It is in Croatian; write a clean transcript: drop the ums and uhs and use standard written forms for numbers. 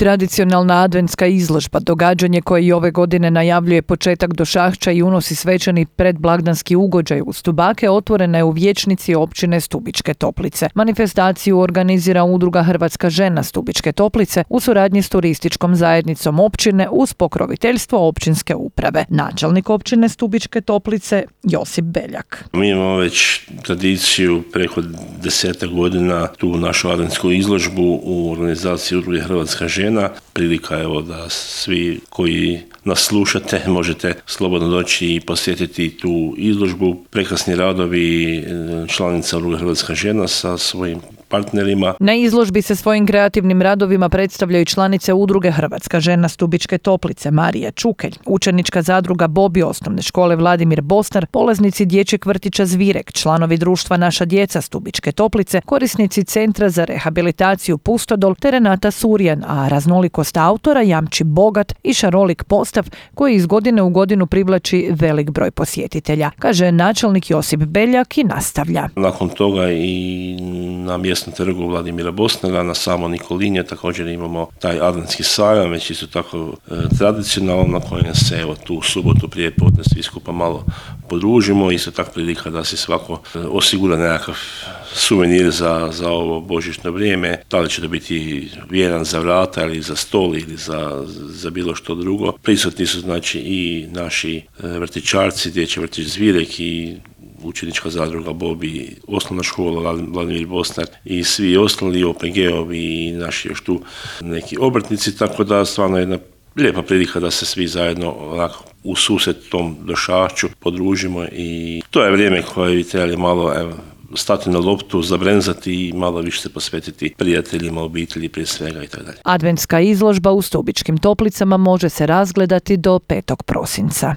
Tradicionalna adventska izložba, događanje koje i ove godine najavljuje početak došahća i unosi svečani predblagdanski ugođaj u Stubake, otvorena je u vijećnici općine Stubičke Toplice. Manifestaciju organizira Udruga Hrvatska žena Stubičke Toplice u suradnji s turističkom zajednicom općine uz pokroviteljstvo općinske uprave. Načelnik općine Stubičke Toplice Josip Beljak. Mi imamo već tradiciju preko 10 godina tu našu adventsku izložbu u organizaciji Udruge Hrvatska žena. Prilika je da svi koji nas slušate možete slobodno doći i posjetiti tu izložbu. Prekrasni radovi članica Udruge Hrvatska žena sa svojim partnerima. Na izložbi se svojim kreativnim radovima predstavljaju članice Udruge Hrvatska žena Stubičke Toplice Marija Čukelj, učenička zadruga Bobi osnovne škole Vladimir Bostar, polaznici dječjeg vrtića Zvirek, članovi društva Naša djeca Stubičke Toplice, korisnici Centra za rehabilitaciju Pustodol te Renata Surjan, a raznolikost autora jamči bogat i šarolik postav koji iz godine u godinu privlači velik broj posjetitelja, kaže načelnik Josip Beljak i nastavlja. Nakon toga i na mjesnom trgu Vladimira Bosnara, na samo Nikolinje također imamo taj adventski sajam, već isto tako tradicionalno, na kojem se tu subotu prije podne svi skupa malo podružimo. Isto tako prilika da se svako osigura nekakav suvenir za ovo božićno vrijeme. Da li će to biti vjeran za vrata ili za stol ili za bilo što drugo. Prisutni su znači i naši vrtićarci, dječji vrtić Zvirek i učenička zadruga Bobi, osnovna škola Vladimir Bosnar i svi ostali OPG-ovi i naši još tu neki obrtnici, tako da stvarno jedna lijepa prilika da se svi zajedno onako u susret tom došahću podružimo i to je vrijeme koje bi trebali malo stati na loptu, zabrenzati i malo više se posvetiti prijateljima, obitelji prije svega itd. Adventska izložba u Stubičkim Toplicama može se razgledati do 5. prosinca.